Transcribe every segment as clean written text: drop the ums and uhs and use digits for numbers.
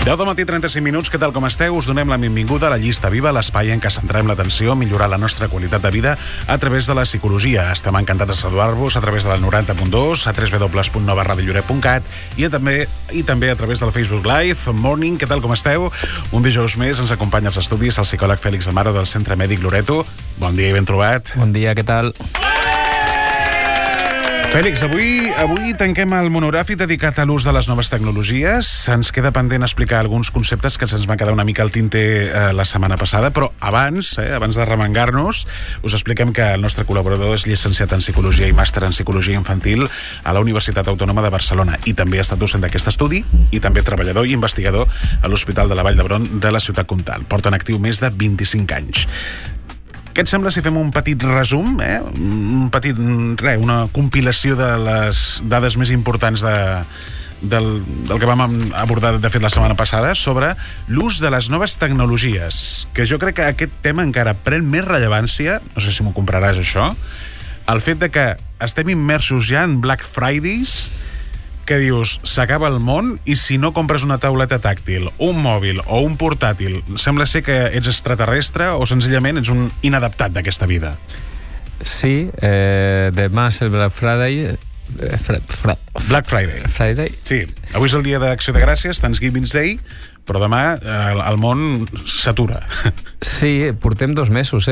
10 del matí, 35 minuts, què tal com esteu? Us donem la benvinguda a la Llista Viva, l'espai en què centrem l'atenció a millorar la nostra qualitat de vida a través de la psicologia. Estem encantats de saludar-vos a través de la 90.2, a www.novaradiolloret.cat i també a través del Facebook Live. Morning, què tal com esteu? Un dijous més ens acompanya als estudis el psicòleg Fèlix Amaro del Centre Mèdic Loreto. Bon dia i ben trobat. Bon dia, què tal? Fèlix, avui tanquem el monogràfic dedicat a l'ús de les noves tecnologies. Ens queda pendent explicar alguns conceptes que se'ns va quedar una mica al tinter la setmana passada, però abans de remengar-nos, us expliquem que el nostre col·laborador és llicenciat en Psicologia i màster en Psicologia Infantil a la Universitat Autònoma de Barcelona i també ha estat docent d'aquest estudi i també treballador i investigador a l'Hospital de la Vall d'Hebron de la Ciutat Comtal. Porta en actiu més de 25 anys. Què et sembla si fem un petit resum, una compilació de les dades més importants del que vam abordar, de fet, la setmana passada, sobre l'ús de les noves tecnologies, que jo crec que aquest tema encara pren més rellevància, no sé si m'ho compraràs això, el fet de que estem immersos ja en Black Fridays, que dius, s'acaba el món i si no compres una tauleta tàctil, un mòbil o un portàtil, sembla ser que ets extraterrestre o senzillament ets un inadaptat d'aquesta vida. Sí, demà és el Black Friday. Black Friday. Sí, avui és el dia d'Acció de Gràcies, Thanksgiving Day, però demà el món s'atura. Sí, portem 2 mesos,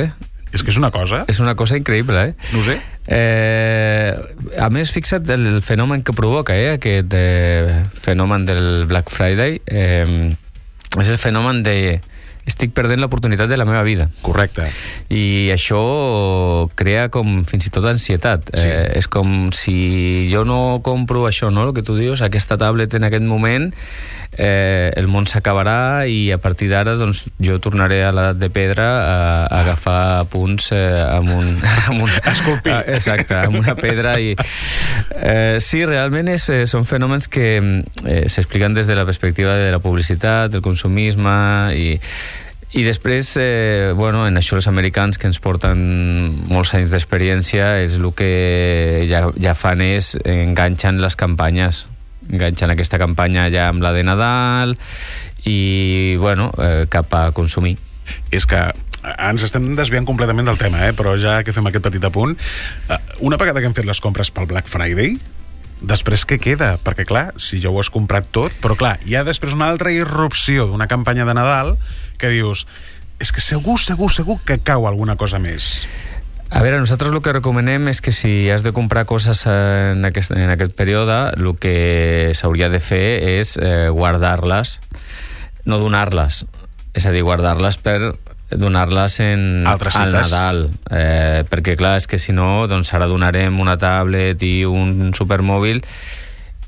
És que és una cosa... És una cosa increïble, No ho sé. A més, fixa't el fenomen que provoca, aquest fenomen del Black Friday. És el fenomen de... Estic perdent l'oportunitat de la meva vida. Correcte. I això crea com fins i tot ansietat. Sí. És com si jo no compro això, no? El que tu dius, aquesta tablet en aquest moment, el món s'acabarà i a partir d'ara doncs, jo tornaré a l'edat de pedra a agafar punts amb un esculpir. Exacte, amb una pedra. Sí, realment són fenòmens que s'expliquen des de la perspectiva de la publicitat, del consumisme i després, en això els americans, que ens porten molts anys d'experiència, és el que ja fan és enganxen les campanyes. Enganxen aquesta campanya ja amb la de Nadal i, cap a consumir. És que ens estem desviant completament del tema, però ja que fem aquest petit apunt, una vegada que hem fet les compres pel Black Friday, després què queda? Perquè, clar, si ja ho has comprat tot, però, clar, hi ha després una altra irrupció d'una campanya de Nadal que dius, és que segur que cau alguna cosa més. A veure, nosaltres el que recomanem és que si has de comprar coses en aquest període, el que s'hauria de fer és guardar-les, no donar-les. És a dir, guardar-les per donar-les al Nadal. Perquè, clar, és que si no, doncs ara donarem una tablet i un supermòbil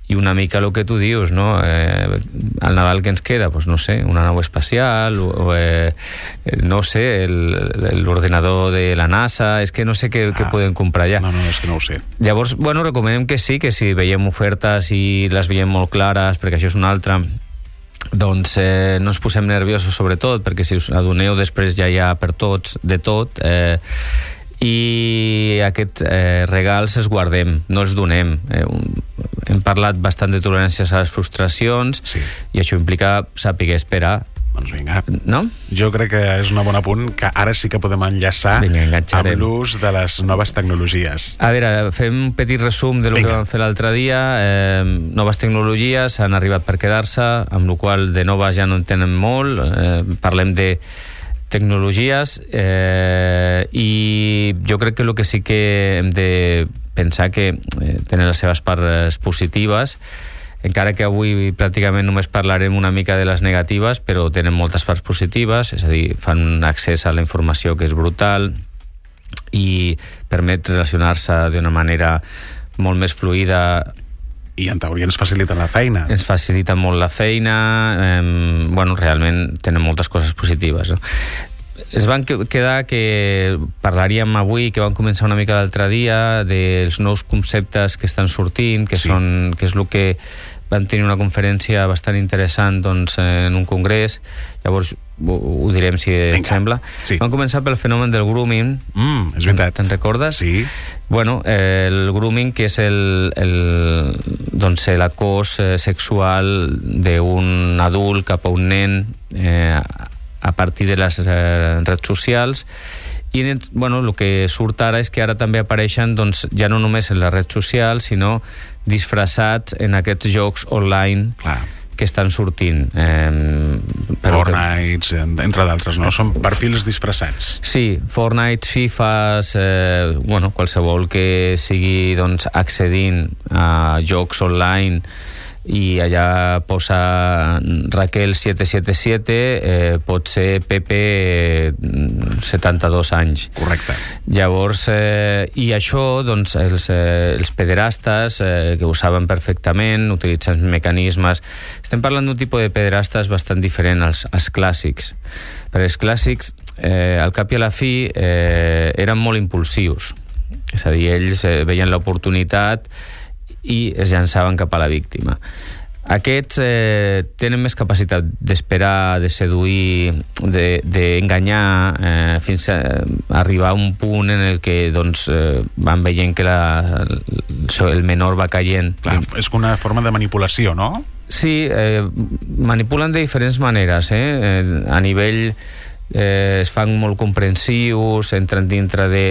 i una mica el que tu dius, no? Al Nadal què ens queda? Pues no sé, una nau espacial, no sé, l'ordinador de la NASA, és que no sé què podem comprar ja. No, és que no ho sé. Llavors, recomanem que sí, que si veiem ofertes i les veiem molt clares, perquè això és una altra, doncs no ens posem nerviosos sobretot, perquè si us adoneu després ja hi ha per tots, de tot, i aquests regals els guardem, no els donem. Hem parlat bastant de toleràncies a les frustracions, sí. I això implica saber esperar. Doncs vinga, no? Jo crec que és un bon apunt que ara sí que podem enllaçar amb l'ús de les noves tecnologies. A veure, fem un petit resum de lo que vam fer l'altre dia. Noves tecnologies han arribat per quedar-se, amb la qual de noves ja no en tenen molt. Parlem de tecnologies i jo crec que el que sí que hem de pensar que tenen les seves parts positives, encara que avui pràcticament només parlarem una mica de les negatives, però tenen moltes parts positives, és a dir, fan un accés a la informació que és brutal i permet relacionar-se d'una manera molt més fluida. I en teoria ens faciliten la feina. Ens faciliten molt la feina, realment tenen moltes coses positives, no? Es van quedar que parlaríem avui, que vam començar una mica l'altre dia, dels nous conceptes que estan sortint, que és el que van tenir una conferència bastant interessant en un congrés. Llavors ho direm si et sembla. Sí. Vam començar pel fenomen del grooming. És veritat. Te'n recordes? Sí. El grooming, que és doncs l'acòs sexual d'un adult cap a un nen a partir de les redes socials. I bueno, el que surt ara és que ara també apareixen doncs, ja no només en les redes socials, sinó disfressats en aquests jocs online. Clar. Que estan sortint. Fortnite, entre d'altres, no? Són perfils disfressats. Sí, Fortnite, FIFAs, bueno, qualsevol que sigui doncs, accedint a jocs online i allà posa Raquel 777, pot ser Pepe 72 anys. Correcte. Llavors, i això, doncs, els pederastes, que ho saben perfectament, utilitzen mecanismes. Estem parlant d'un tipus de pederastes bastant diferent als clàssics. Perquè els clàssics, al cap i a la fi, eren molt impulsius. És a dir, ells veien l'oportunitat i es llançaven cap a la víctima. Aquests tenen més capacitat d'esperar, de seduir, d'enganyar, fins a arribar a un punt en el que doncs, van veient que el menor va caient. Clar, és una forma de manipulació, no? Sí, manipulen de diferents maneres. A nivell es fan molt comprensius, entren dintre de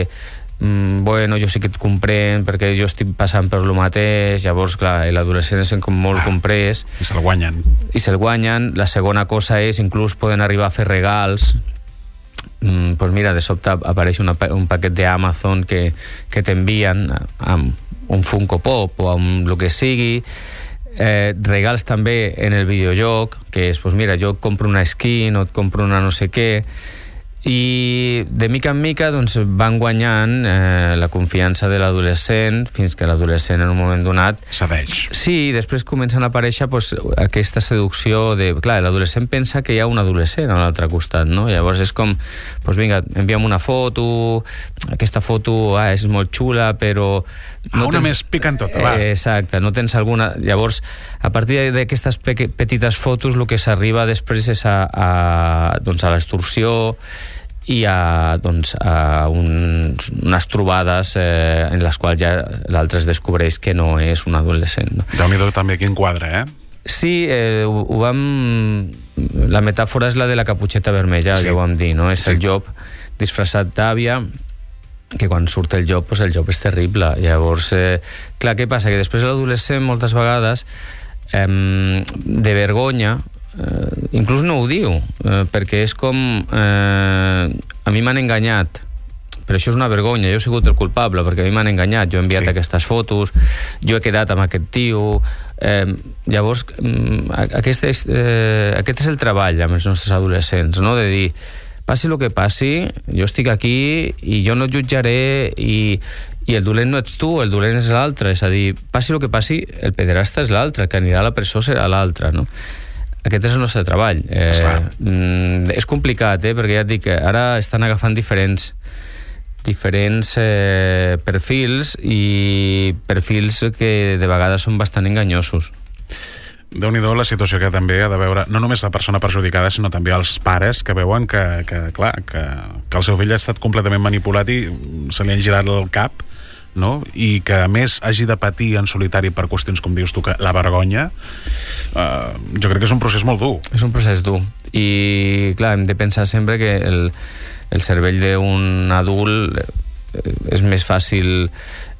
bueno, jo sí que et comprenc perquè jo estic passant per lo mateix. Llavors, clar, l'adolescent és com molt comprès i se'l guanyen. La segona cosa és, inclús poden arribar a fer regals. Pues mira, de sobte apareix un paquet d'Amazon que t'envien amb un Funko Pop o amb el que sigui. Regals també en el videojoc, que és, pues mira, jo et compro una skin o et compro una no sé què. I de mica en mica doncs, van guanyant la confiança de l'adolescent fins que l'adolescent en un moment donat cedeix. Sí, després comencen a aparèixer doncs, aquesta seducció de... Clar, l'adolescent pensa que hi ha un adolescent a l'altre costat, no? Llavors és com, doncs vinga, envia'm una foto, aquesta foto és molt xula, però... No una més picantota, va. Exacte, no tens alguna... Llavors, a partir d'aquestes petites fotos, el que s'arriba després és a l'extorsió i a unes trobades en les quals ja l'altre es descobreix que no és un adolescent. No? Déu-n'hi-do també quin quadre, Sí, ho vam... La metàfora és la de la caputxeta vermella, sí. Ja ho vam dir, no? És el llop disfressat d'àvia, que quan surt el llop, doncs el llop és terrible. Llavors, clar, què passa? Que després l'adolescent, moltes vegades, de vergonya, inclús no ho diu, perquè és com a mi m'han enganyat, però això és una vergonya, jo he sigut el culpable perquè a mi m'han enganyat, jo he enviat aquestes fotos, jo he quedat amb aquest tio. Llavors aquest és el treball amb els nostres adolescents, no? De dir, passi el que passi, jo estic aquí i jo no et jutjaré i el dolent no ets tu, el dolent és l'altre. És a dir, passi el que passi, el pederasta és l'altre, que anirà a la presó serà l'altre, no? Aquest és el nostre treball. És complicat, perquè ja et dic que ara estan agafant diferents perfils i perfils que de vegades són bastant enganyosos. Déu-n'hi-do la situació que també ha de veure no només la persona perjudicada, sinó també els pares que veuen que el seu fill ha estat completament manipulat i se li han girat el cap, no? I que a més hagi de patir en solitari per qüestions com dius tu, que la vergonya, jo crec que és un procés molt dur. És un procés dur i clar, hem de pensar sempre que el cervell d'un adult és més fàcil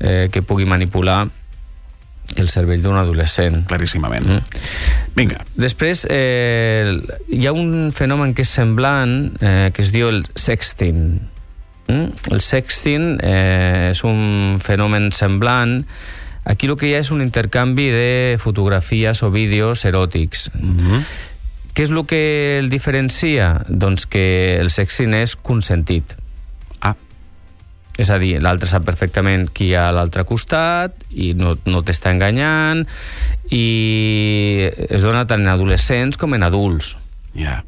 que pugui manipular que el cervell d'un adolescent. Claríssimament. Vinga. Després hi ha un fenomen que és semblant, que es diu el sexting. El sexting és un fenomen semblant. Aquí el que hi ha és un intercanvi de fotografies o vídeos eròtics. Què és el que el diferencia? Doncs que el sexting és consentit. És a dir, l'altre sap perfectament qui hi ha a l'altre costat i no t'està enganyant i es dona tant en adolescents com en adults. Ja.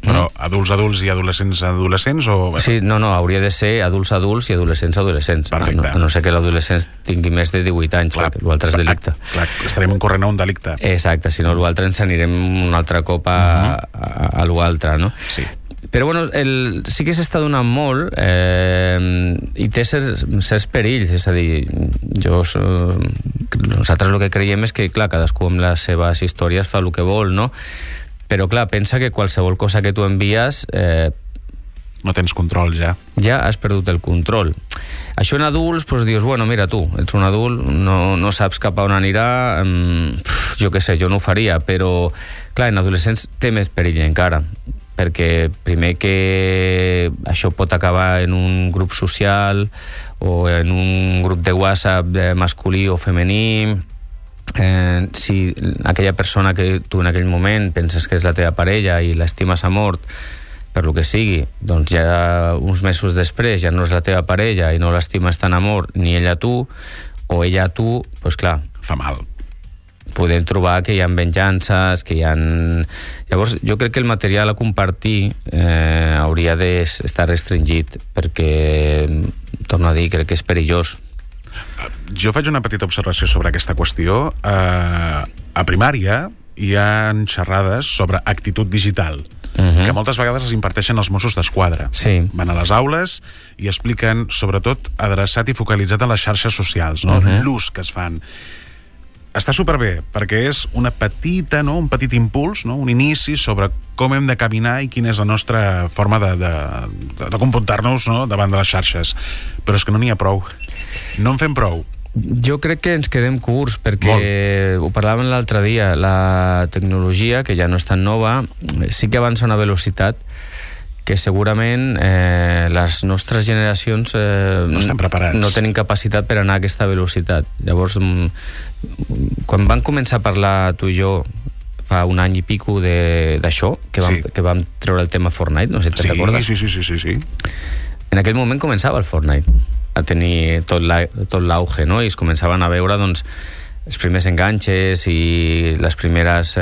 Però adults i adolescents o... Sí, no, hauria de ser adults i adolescents. Perfecte. A no ser que l'adolescent tingui més de 18 anys, clar, l'altre és delicte. Clar, estarem incorrent a un delicte. Exacte, si no l'altre ens anirem un altre cop a l'altre, no? Sí. Però bueno, sí que s'està donant molt i té certs perills, és a dir, jo nosaltres el que creiem és que, clar, cadascú amb les seves històries fa el que vol, no? Però, clar, pensa que qualsevol cosa que tu envies... no tens control, ja. Ja has perdut el control. Això en adults, doncs dius, bueno, mira tu, ets un adult, no saps cap a on anirà, jo què sé, jo no ho faria, però, clar, en adolescents té més perill encara, perquè primer que això pot acabar en un grup social o en un grup de WhatsApp masculí o femení. Si aquella persona que tu en aquell moment penses que és la teva parella i l'estimes a mort per lo que sigui, doncs ja uns mesos després ja no és la teva parella i no l'estimes tan amor ni ella a tu, o ella a tu, doncs clar, fa mal. Podem trobar que hi ha venjances, que hi ha... Llavors, jo crec que el material a compartir hauria d'estar restringit, perquè, torno a dir, crec que és perillós. Jo faig una petita observació sobre aquesta qüestió. A primària hi ha xerrades sobre actitud digital, que moltes vegades es imparteixen als Mossos d'Esquadra. Sí. Van a les aules i expliquen, sobretot, adreçat i focalitzat en les xarxes socials, no? L'ús que es fan. Està superbé, perquè és una petita, no? Un petit impuls, no? Un inici sobre com hem de caminar i quina és la nostra forma de comportar-nos, no? Davant de les xarxes. Però és que no n'hi ha prou. No en fem prou. Jo crec que ens quedem curts, perquè ho parlàvem l'altre dia, la tecnologia, que ja no és tan nova, sí que avança a una velocitat que segurament les nostres generacions no estan preparats. No tenim capacitat per anar a aquesta velocitat. Llavors, quan van començar a parlar tu i jo fa un any i pico d'això, que vam treure el tema Fortnite, no sé si te'n recordes? Sí. En aquell moment començava el Fortnite a tenir tot l'auge, no? I es començaven a veure, doncs, els primers enganxes i les primeres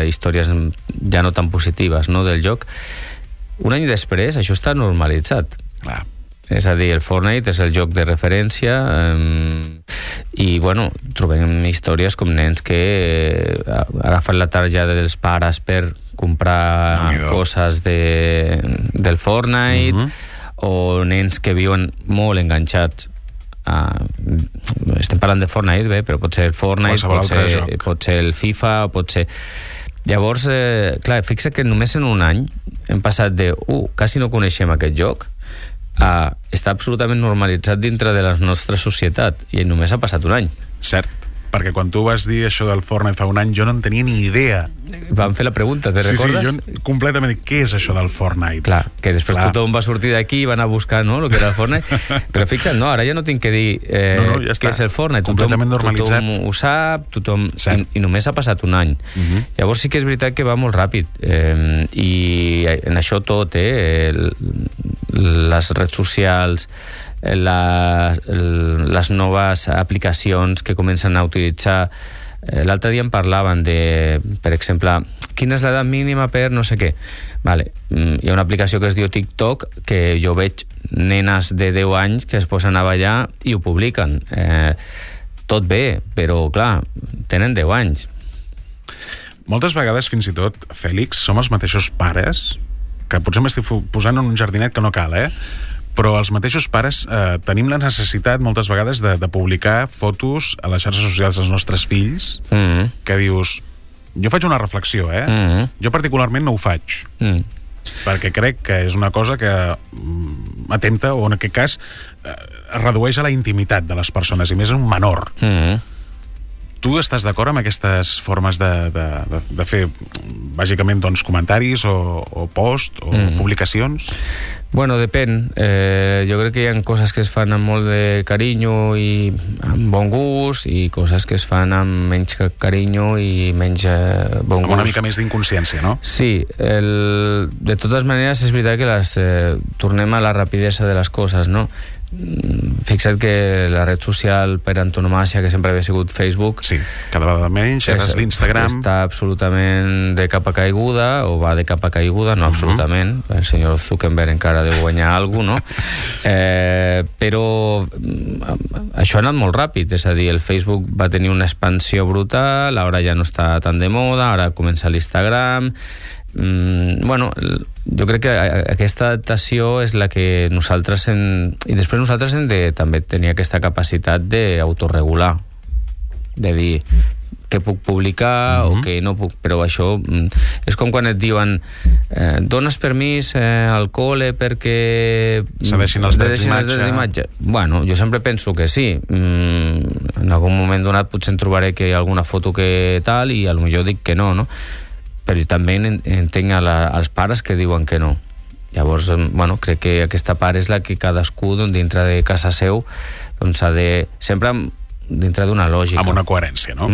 històries ja no tan positives, no?, del joc. Un any després, això està normalitzat. Clar. És a dir, el Fortnite és el joc de referència i, bueno, trobem històries com nens que agafen la targeta dels pares per comprar coses del Fortnite, o nens que viuen molt enganxats estem parlant de Fortnite, bé, però pot ser el Fortnite, pot ser el FIFA, pot ser... Llavors, clar, fixa que només en un any hem passat de quasi no coneixem aquest joc a estar absolutament normalitzat dintre de la nostra societat, i només ha passat un any. Cert, perquè quan tu vas dir això del Fortnite fa un any, jo no en tenia ni idea. Vam fer la pregunta, te recordes? Sí, jo completament dic, què és això del Fortnite? Clar, que després tothom va sortir d'aquí i van a buscar, no?, el que era el Fortnite. Però fixa't, no, ara ja no tinc que dir ja què és el Fortnite. Completament normalitzat. Tothom ho sap, i només ha passat un any. Llavors sí que és veritat que va molt ràpid. I en això tot, les redes socials, les noves aplicacions que comencen a utilitzar. L'altre dia en parlaven de, per exemple, quina és l'edat mínima per no sé què. Vale. Hi ha una aplicació que es diu TikTok, que jo veig nenes de 10 anys que es posen a ballar i ho publiquen. Tot bé, però clar, tenen 10 anys. Moltes vegades, fins i tot, Fèlix, som els mateixos pares, que potser m'estic posant en un jardinet que no cal, però els mateixos pares tenim la necessitat moltes vegades de publicar fotos a les xarxes socials dels nostres fills, que dius, jo faig una reflexió, jo particularment no ho faig, perquè crec que és una cosa que atempta, o en aquest cas redueix a la intimitat de les persones, i més en un menor. Tu estàs d'acord amb aquestes formes de fer, bàsicament, doncs, comentaris o post o publicacions? Bueno, depèn. Jo crec que hi ha coses que es fan amb molt de carinyo i amb bon gust, i coses que es fan amb menys carinyo i menys bon gust. Amb una mica més d'inconsciència, no? Sí. De totes maneres, és veritat que tornem a la rapidesa de les coses, no? Fixa't que la red social per antonomàsia, que sempre havia sigut Facebook, sí, cada vegada menys, és l'Instagram, està absolutament de capa caiguda, o va de capa caiguda, no absolutament, el senyor Zuckerberg encara deu guanyar alguna cosa, no? Però això ha anat molt ràpid, és a dir, el Facebook va tenir una expansió brutal, ara ja no està tan de moda, ara comença l'Instagram. Bueno, jo crec que aquesta adaptació és la que nosaltres i després nosaltres hem de també tenir aquesta capacitat d'autoregular. de dir què puc publicar o què no puc, però això és com quan et diuen dones permís al col·le perquè cedeixin els drets d'imatge. Bueno, jo sempre penso que sí. En algun moment donat potser en trobaré que hi ha alguna foto que tal i potser dic que no, no? Però també entenc als pares que diuen que no. Llavors, bueno, crec que aquesta part és la que cadascú dintre de casa seu doncs ha de... sempre dintre d'una lògica. Amb una coherència, no?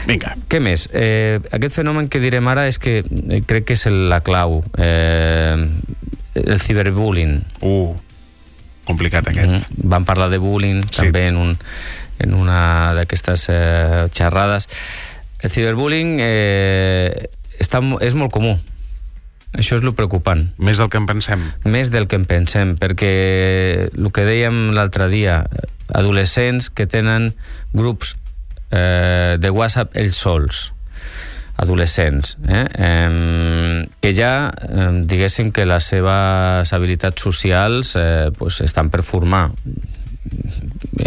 Vinga. Què més? Aquest fenomen que direm ara és que crec que és la clau. El ciberbullying. Complicat aquest. Vam parlar de bullying també en una d'aquestes xerrades. El ciberbullying és molt comú. Això és el preocupant. Més del que en pensem. Més del que en pensem, perquè el que dèiem l'altre dia, adolescents que tenen grups de WhatsApp ells sols, adolescents, que ja diguéssim que les seves habilitats socials estan per formar.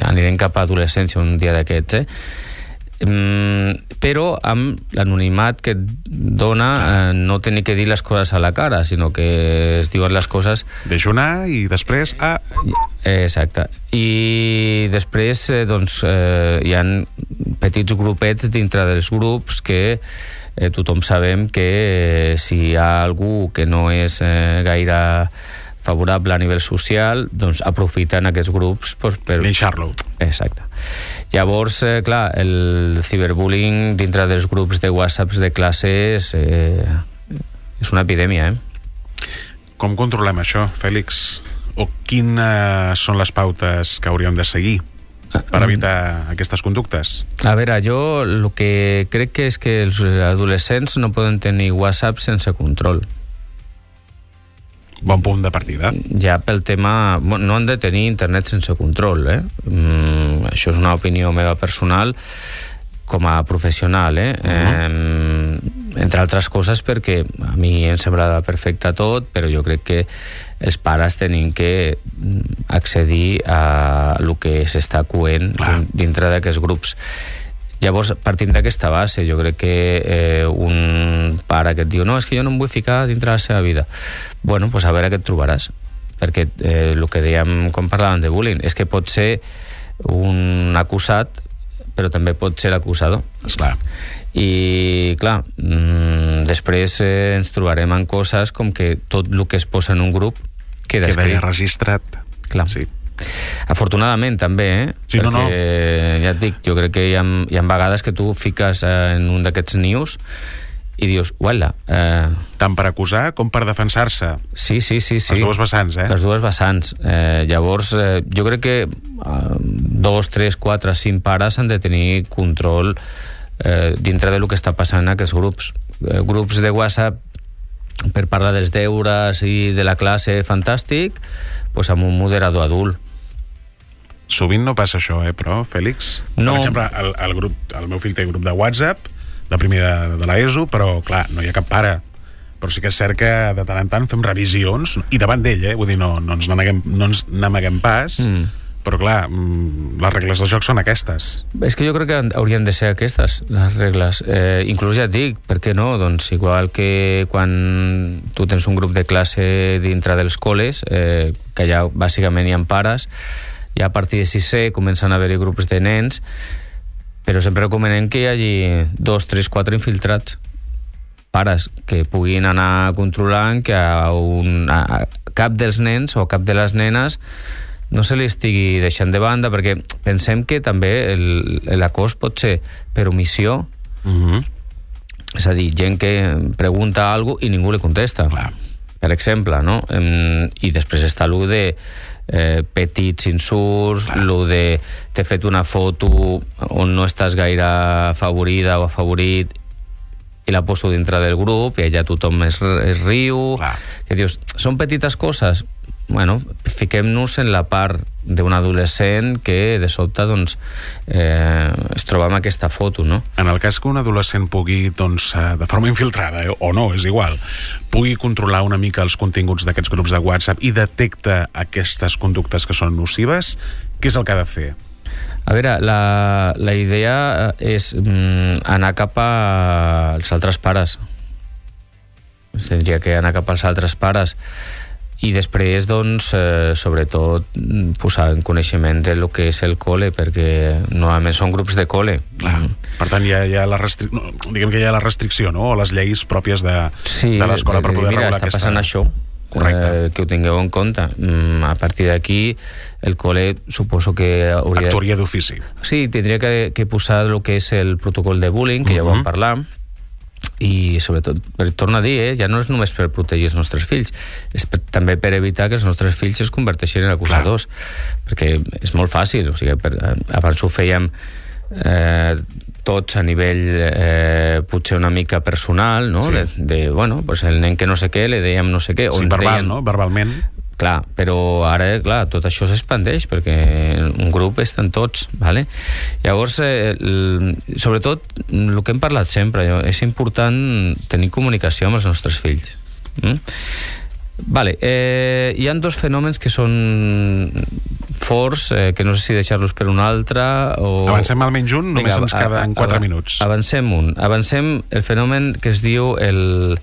Anirem cap a adolescència un dia d'aquests, però amb l'anonimat que et dona no tenir que dir les coses a la cara, sinó que es diuen les coses dejunar i després exacte, i després doncs hi ha petits grupets dintre dels grups que tothom sabem que si hi ha algú que no és gaire favorable a nivell social, doncs aprofiten aquests grups per linxar-lo. Exacte. Llavors, clar, el ciberbullying dintre dels grups de WhatsApps de classes és una epidèmia, Com controlem això, Fèlix? O quines són les pautes que hauríem de seguir per evitar aquestes conductes? A veure, jo el que crec que és que els adolescents no poden tenir WhatsApp sense control. Bon punt de partida. Ja pel tema... No han de tenir internet sense control, Això és una opinió meva personal com a professional, entre altres coses perquè a mi em sembla perfecte tot, però jo crec que els pares tenen que accedir a el que s'està coent dintre d'aquests grups. Llavors, partint d'aquesta base, jo crec que un pare que et diu no, és que jo no em vull ficar dintre la seva vida. Bueno, doncs a veure què et trobaràs. Perquè el que dèiem quan parlàvem de bullying és que pot ser un acusat, però també pot ser l'acusador. Esclar. I, clar, després ens trobarem en coses com que tot el que es posa en un grup queda escrit. Registrat. Clar. Sí. Afortunadament també, sí, perquè no. Ja et dic, jo crec que hi ha vegades que tu fiques en un d'aquests news i dius, uala... Tant per acusar com per defensar-se. Sí. Les dues vessants, Les dues vessants. Llavors, jo crec que 2, 3, 4, 5 pares han de tenir control dintre del que està passant en aquests grups. Grups de WhatsApp per parlar dels deures i de la classe, fantàstic, doncs amb un moderador adult. Sovint no passa això, però, Fèlix? No. Per exemple, el meu fill té grup de WhatsApp, de primer de l'ESO, però, clar, no hi ha cap pare. Però sí que és cert que de tant en tant fem revisions, i davant d'ell, vull dir, no ens n'amaguem pas, però, clar, les regles del joc són aquestes. És que jo crec que haurien de ser aquestes, les regles. Inclús ja et dic, per què no? Doncs igual que quan tu tens un grup de classe dintre dels col·les, que ja bàsicament hi ha pares, ja a partir de 6è comencen a haver-hi grups de nens, però sempre recomanem que hi hagi 2, 3, 4 infiltrats, pares que puguin anar controlant que a cap dels nens o cap de les nenes no se li estigui deixant de banda, perquè pensem que també l'acòs pot ser per omissió, és a dir, gent que pregunta alguna cosa i ningú li contesta. Clar. Per exemple, no? I després està allò de petits insults, allò de t'he fet una foto on no estàs gaire afavorida o afavorit i la poso dintre del grup i allà tothom es riu. Clar. Que dius, són petites coses. Bueno, fiquem-nos en la part d'un adolescent que de sobte doncs, es troba amb aquesta foto, no? En el cas que un adolescent pugui, doncs, de forma infiltrada, o no, és igual, pugui controlar una mica els continguts d'aquests grups de WhatsApp i detecta aquestes conductes que són nocives, què és el que ha de fer? A veure, la idea és anar cap als altres pares. Tindria que anar cap als altres pares i després, doncs, sobretot posar en coneixement del que és el col·le, perquè normalment són grups de col·le. Clar. Per tant, hi ha la diguem que hi ha la restricció, no?, o les lleis pròpies de l'escola per poder regular aquesta... Mira, està passant això. Correcte. Que ho tingueu en compte. A partir d'aquí, el col·le suposo que hauria... Actuaria d'ofici. Sí, tindria que posar el que és el protocol de bullying, que ja ho vam parlar, i sobretot, torno a dir, ja no és només per protegir els nostres fills, és també per evitar que els nostres fills es converteixin en acusadors. Clar. Perquè és molt fàcil, o sigui, abans ho fèiem tots a nivell potser una mica personal, no? Sí. Bueno, pues el nen que no sé què, li dèiem no sé què. Sí, verbal, no? Verbalment. Clar, però ara, clar, tot això s'expandeix perquè un grup estan tots, ¿vale? Llavors, sobretot, el que hem parlat sempre, és important tenir comunicació amb els nostres fills. Vale, hi ha dos fenòmens que són forts, que no sé si deixar-los per un altre o... Avancem almenys un, només ens queden 4 minuts. Avancem el fenomen que es diu els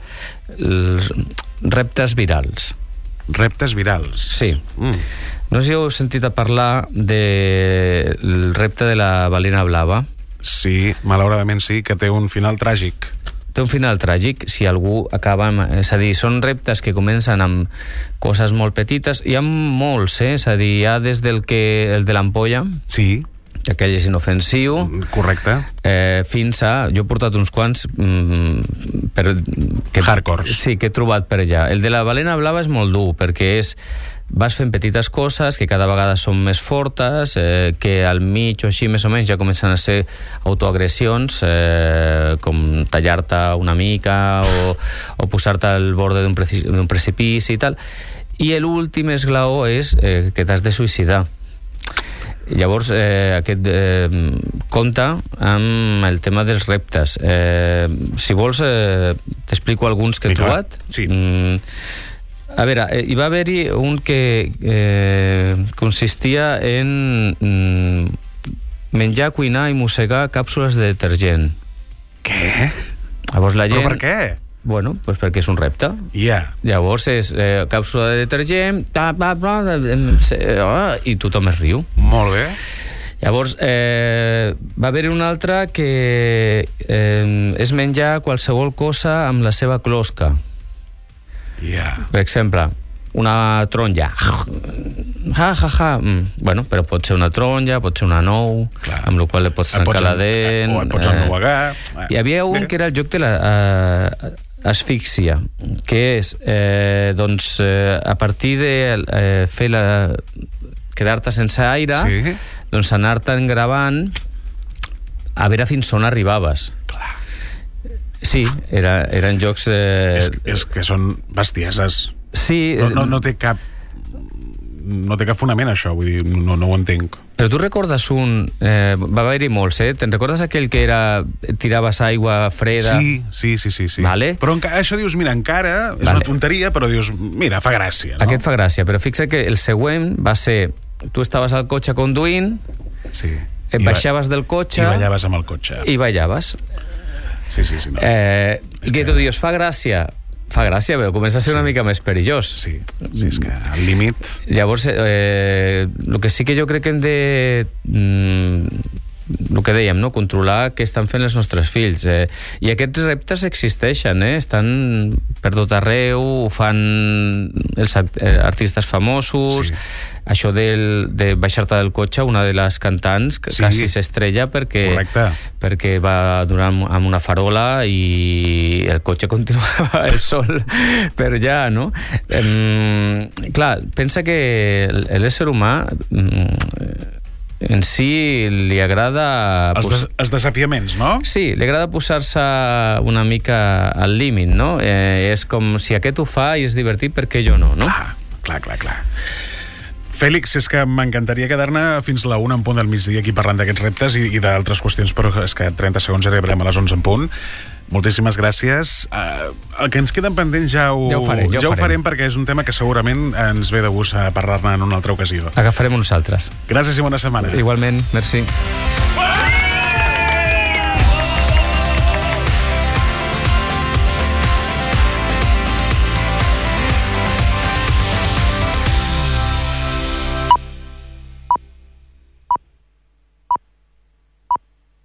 reptes virals. Reptes virals. Sí. No sé si heu sentit a parlar del repte de la balena blava. Sí, malauradament sí, que té un final tràgic. Té un final tràgic si algú acaba amb... És a dir, són reptes que comencen amb coses molt petites. Hi ha molts, és a dir, hi ha des del de l'ampolla... Sí. Que aquell és inofensiu. Correcte. Fins a... Jo he portat uns quants... hardcores. Sí, que he trobat per allà. El de la balena blava és molt dur, perquè vas fent petites coses que cada vegada són més fortes, que al mig o així més o menys ja comencen a ser autoagressions, com tallar-te una mica o posar-te al borde d'un precipici i tal. I l'últim esglaó és que t'has de suïcidar. Llavors, aquest compta amb el tema dels reptes. Si vols, t'explico alguns que he trobat. Sí. A veure, hi va haver-hi un que consistia en menjar, cuinar i mossegar càpsules de detergent. Què? Llavors la gent... Però per què? Bueno, pues perquè és un repte. Llavors és càpsula de detergent, i tothom es riu. Molt bé. Llavors, va haver-hi un altre que és menjar qualsevol cosa amb la seva closca. Per exemple, una taronja. Bueno, però pot ser una taronja, pot ser una nou, amb la qual li pots trencar la dent. O et pots ennuegar. Hi havia un que era el joc de l'asfíxia, que és, doncs, a partir de quedar-te sense aire, doncs anar-te'n gravant a veure fins on arribaves. Sí, eren jocs... És que són bestieses. Sí. No té cap fonament, això, vull dir, no ho entenc. Però tu recordes va haver-hi molts, Te'n recordes aquell que tiraves aigua freda? Sí. Vale. Però això dius, mira, encara és una tonteria, però dius, mira, fa gràcia, no? Aquest fa gràcia, però fixa't que el següent va ser, tu estaves al cotxe conduint, et baixaves del cotxe... I ballaves amb el cotxe. I ballaves. Sí. No. Que tu dius, fa gràcia, però comença a ser una mica més perillós. Sí, és que al límit... Llavors, el que sí que jo crec que hem de... el que dèiem, no? Controlar què estan fent els nostres fills. I aquests reptes existeixen, estan per tot arreu, ho fan els artistes famosos. Això de baixar-te del cotxe, una de les cantants quasi s'estrella perquè va donar amb una farola i el cotxe continuava el sol per allà, no? Clar, pensa que l'ésser humà en si li agrada... Els desafiaments, no? Sí, li agrada posar-se una mica al límit, no? És com si aquest ho fa i és divertit, per què jo no, no? Clar. Fèlix, és que m'encantaria quedar-ne fins la 1 en punt del migdia aquí parlant d'aquests reptes i d'altres qüestions, però és que 30 segons arribarem a les 11 en punt. Moltíssimes gràcies. El que ens queden pendents ja ho farem, perquè és un tema que segurament ens ve de gust a parlar-ne en una altra ocasió. Agafarem uns altres. Gràcies i bona setmana. Igualment, merci.